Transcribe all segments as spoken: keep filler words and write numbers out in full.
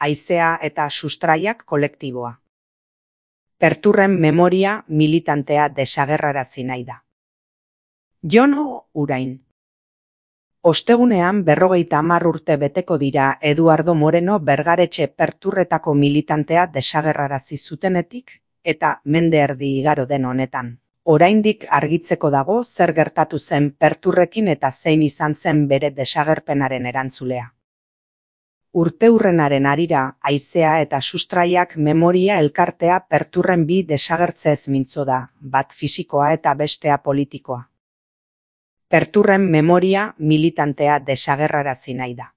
Haizea eta sustraiak kolektiboa. Perturren memoria militantea desagerrarazi nahi da. Jon Urain. Ostegunean berrogeita hamar urte beteko dira Eduardo Moreno Bergaretxe perturretako militantea desagerrarazi zutenetik eta mende erdi igaro den honetan. Oraindik argitzeko dago zer gertatu zen perturrekin eta zein izan zen bere desagerpenaren erantzulea. Urteurrenaren arira, haizea eta sustraiak memoria elkartea perturren bi desagertzeez mintzo da, bat fisikoa eta bestea politikoa. Perturren memoria militantea desagerrarazi nahi da.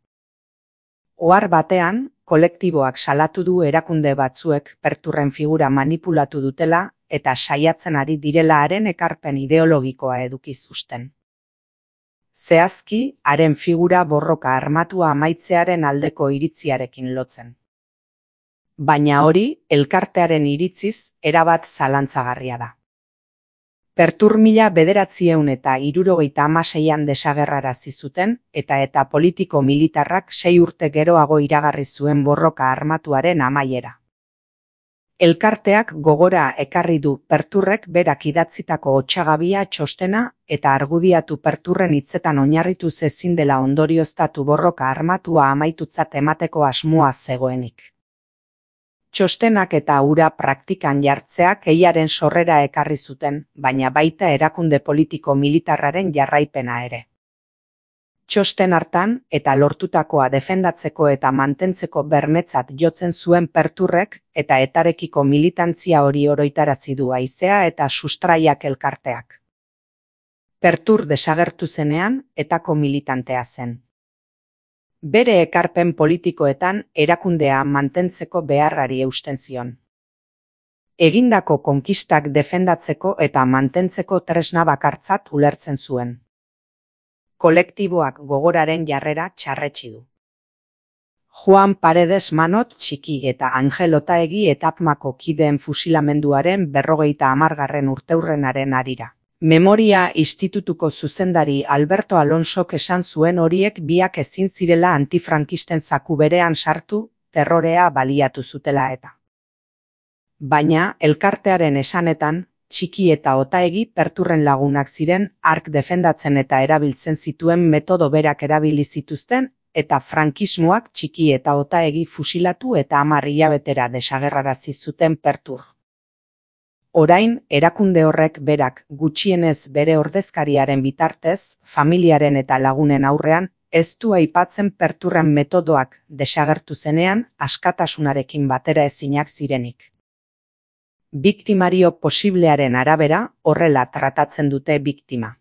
Ohar batean, kolektiboak salatu du erakunde batzuek perturren figura manipulatu dutela eta saiatzen ari direla haren ekarpen ideologikoa eduki zuzten. Zehazki, haren figura borroka armatua amaitzearen aldeko iritziarekin lotzen. Baina hori, elkartearen iritziz, erabat zalantzagarria da. Pertur mila bederatziehun eta hirurogeita hamaseian desagerrarazi zuten eta eta politiko militarrak sei urte geroago iragarri zuen borroka armatuaren amaiera. Elkarteak gogora ekarri du perturrek berak idatzitako otsagabia txostena eta argudiatu perturren hitzetan oinarrituz ezin dela ondorioztatu borroka armatua amaitutzat emateko asmoa zegoenik. Txostenak eta hura praktikan jartzeak eiaren sorrera ekarri zuten, baina baita erakunde politiko militarraren jarraipena ere. Txosten hartan eta lortutakoa defendatzeko eta mantentzeko bermetzat jotzen zuen perturrek eta etarekiko militantzia hori oroitarazi du haizea eta sustraiak elkarteak. Pertur desagertu zenean etako militantea zen. Bere ekarpen politikoetan erakundea mantentzeko beharrari eusten zion. Egindako konkistak defendatzeko eta mantentzeko tresna bakartzat ulertzen zuen. Kolektiboak gogoraren jarrera txarretsi du. Juan Paredes Manot txiki eta Angel Otaegi etapmako kideen fusilamenduaren berrogeita hamargarren urteurrenaren arira. Memoria Institutuko zuzendari Alberto Alonsok esan zuen horiek biak ezin zirela antifrankisten zaku berean sartu, terrorea baliatu zutela eta. Baina, elkartearen esanetan, txiki eta Otaegi perturren lagunak ziren ark defendatzen eta erabiltzen zituen metodo berak erabili zituzten eta frankismoak txiki eta Otaegi fusilatu eta hamar hilabetera desagerrarazi zuten pertur. Orain, erakunde horrek berak gutxienez bere ordezkariaren bitartez, familiaren eta lagunen aurrean, ez du aipatzen perturren metodoak desagertu zenean askatasunarekin batera ezinak zirenik. Biktimario posiblearen arabera horrela tratatzen dute biktima.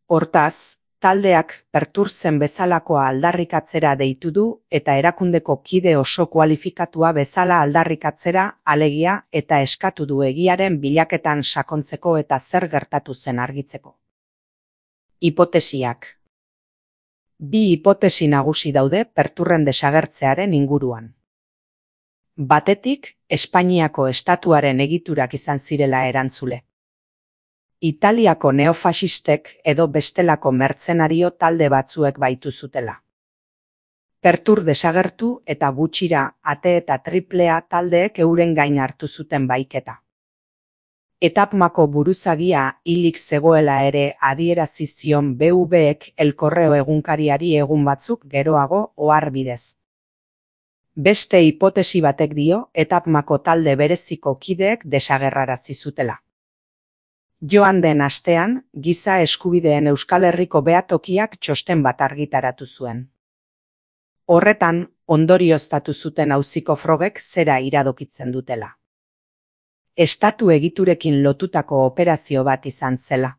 Hortaz, taldeak pertur zen bezalakoa aldarrikatzera deitu du eta erakundeko kide oso kualifikatua bezala aldarrikatzera alegia eta eskatu du egiaren bilaketan sakontzeko eta zer gertatu zen argitzeko. Hipotesiak. Bi hipotesi nagusi daude perturren desagertzearen inguruan. Batetik, Espainiako estatuaren egiturak izan zirela erantzule. Italiako neofasistek edo bestelako mertzenario talde batzuek baitu zutela. Pertur desagertu eta gutxira ate eta triplea taldeek euren gain hartu zuten baiketa. Etapmako buruzagia hilik zegoela ere adierazi zion B V ek El Correo egunkariari egun batzuk geroago ohar bidez. Beste hipotesi batek dio etapmako talde bereziko kideek desagerrarazi zutela. Joan den astean, Giza Eskubideen Euskal Herriko behatokiak txosten bat argitaratu zuen. Horretan, ondorioztatu zuten auziko frogek zera iradokitzen dutela. Estatu egiturekin lotutako operazio bat izan zela.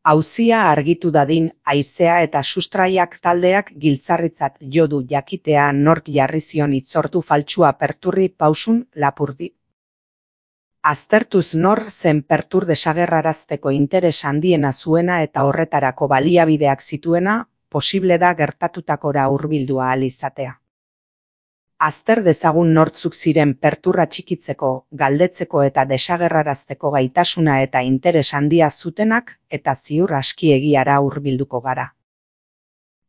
Auzia argitu dadin haizea eta sustraiak taldeak giltzarritzat jo du jakitea nork jarri zion hitzordu faltsua perturri pausun lapurdi. Aztertuz nor zen pertur desagerrarazteko interes handiena zuena eta horretarako baliabideak zituena, posible da gertatutakora hurbildu ahal izatea. Azter dezagun nortzuk ziren perturra txikitzeko, galdetzeko eta desagerrarazteko gaitasuna eta interes handia zutenak eta ziur aski egiara hurbilduko gara.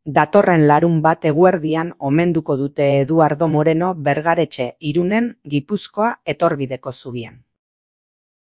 Datorren larunbat eguerdian omenduko dute Eduardo Moreno Bergaretxe Irunen Gipuzkoa etorbideko zubian.